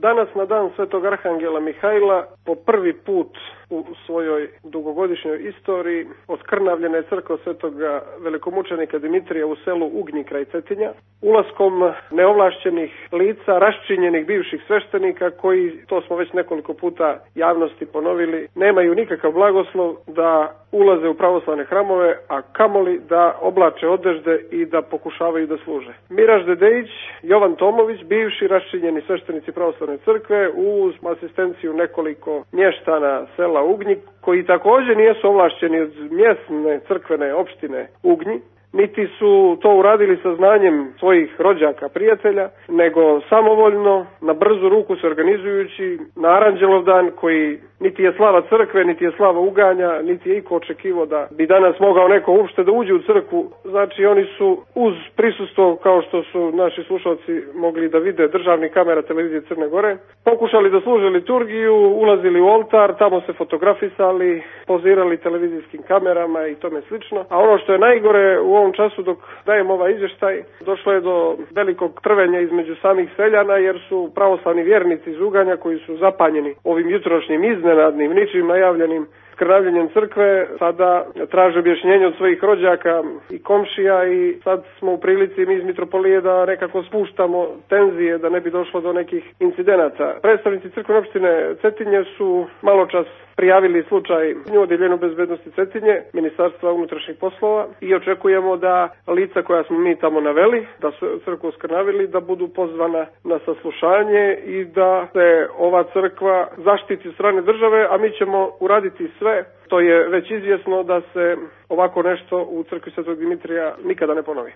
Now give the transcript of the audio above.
Danas na dan Svetog Arhangela Mihajla po prvi put u svojoj dugogodišnjoj istoriji oskrnavljena je crkva Svetoga velikomučenika Dimitrija u selu Ugnji kraj Cetinja, ulaskom neovlašćenih lica, raščinjenih bivših sveštenika koji, to smo već nekoliko puta javnosti ponovili, nemaju nikakav blagoslov da ulaze u pravoslavne hramove, a kamoli da oblače odežde i da pokušavaju da služe. Miraž Dedejić, Jovan Tomović, bivši raščinjeni sveštenici pravoslavne crkve, uz asistenciju nekoliko mještana sela Ugnji, koji također nisu ovlašćeni od mjesne crkvene opštine Ugnji, niti su to uradili sa znanjem svojih rođaka, prijatelja, nego samovoljno, na brzu ruku se organizujući na Aranđelov dan, koji niti je slava crkve, niti je slava Uganja, niti je iko očekivao da bi danas mogao neko uopšte da uđe u crkvu. Znači oni su uz prisustvo, kao što su naši slušalci mogli da vide, državnih kamera televizije Crne Gore, pokušali da služe liturgiju, ulazili u oltar, tamo se fotografisali, pozirali televizijskim kamerama i tome slično. A ono što je najgore u ovom času dok dajem ovaj izvještaj, došlo je do velikog trvenja između samih seljana, jer su pravoslavni vjernici iz Uganja, koji su zapanjeni ovim jutrošnjim iznenadnim, ničim najavljenim skrnavljenjem crkve, sada traže objašnjenje od svojih rođaka i komšija i sad smo u prilici mi iz mitropolije da nekako spuštamo tenzije, da ne bi došlo do nekih incidenata. Predstavnici crkvene opštine Cetinje su maločas prijavili slučaj u Odjeljenju bezbednosti Cetinje, Ministarstva unutrašnjih poslova, i očekujemo da lica koja smo mi tamo naveli, da su crkvu skrnavili, da budu pozvana na saslušanje i da se ova crkva zaštiti od strane države, a mi ćemo uraditi sve. To je već izvjesno da se ovako nešto u crkvi Svetog Dimitrija nikada ne ponovi.